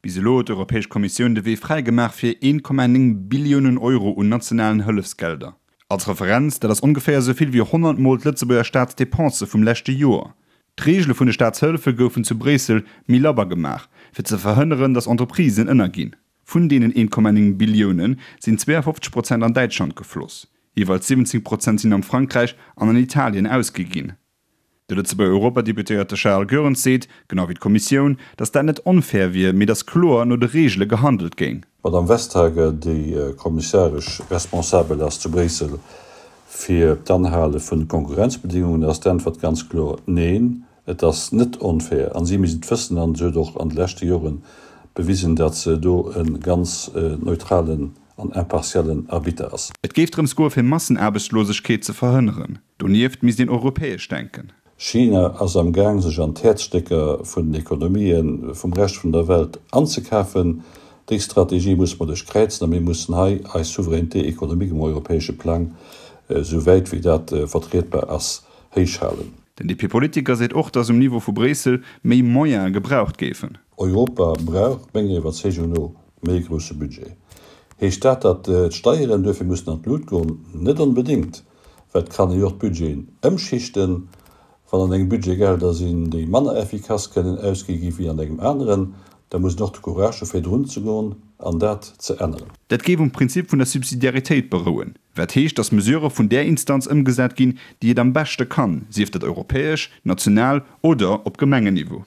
Bis elo huet d'Europäesch Kommissioun de Wee fräi gemaach fir 1,9 Billiounen Euro un nationalen Hëllefsgelder. Als Referenz, dat ass ongeféier esou vill wéi 100 mol d'Lëtzebuerger Staatsdepensë vum leschte Joer. D'Reegele vun de Staatshëllefe goufen zu Bréissel méi labber gemaach, fir ze verhënneren, datt Entreprisen ënnerginn. Vun deenen 1,9 Billioune sinn 52 Prozent an Däitschland gefloss, jeeweils 17 Prozent sinn am Frankräich an an Italien ausgi ginn. De Lëtzebuerger Europadeputéierte Charles Goerens seet, genau wéi d'Kommissioun, datt dat net onfair wier, mee datt kloer no de Reegele gehandelt géing. D'Madame Vestager, déi kommissaresch responsabel ass zu Bréissel fir d'Anhale vun de Konkurrenzbedingungen, ass d'Äntwert ganz kloer, Neen, et ass net onfair. An si misst et wëssen an se huet och an de leschte Jore bewisen, datt se do e ganz neutralen an impartiellen Arbitter ass. Et géif drëms goe fir Massenaarbechtslosegkeet ze verhënneren. Donieft misst een europäesch denken. China ass am Gaang sech an d'Häerzstécker vun den Ekonomië vum Rescht vun der Welt anzekafen. Déi Strategie musse mer duerchkräizen a mir mussen hei eis Souveraineté économique um europäesche Plang, esou wäit wéi dat vertrietbar ass, héich halen. Den DP-Politiker seet och, datt um Niveau vu Bréissel méi Moyene gebraucht géifen. Europa brauch, menger Iwwerzeegung no, Méi e grousse Budget. Heescht dat, datt d'Steieren duerfir mussen an d'Lut goen? Net onbedéngt, well et kann ee jo och d'Budgeten ëmschichten. Wann an engem Budget Gelder sinn, déi manner effikass kënnen ausgi gi wéi an engem aneren, da muss een och de Courage hu fir drun ze goen an dat ze änneren. Dat géif um Prinzip vun der Subsidiaritéit berouen, wat heescht, datt Mesurë vun där Instanz ëmgesat ginn, déi et am beschte kann, sief dat europäesch, national oder op Gemengenniveau.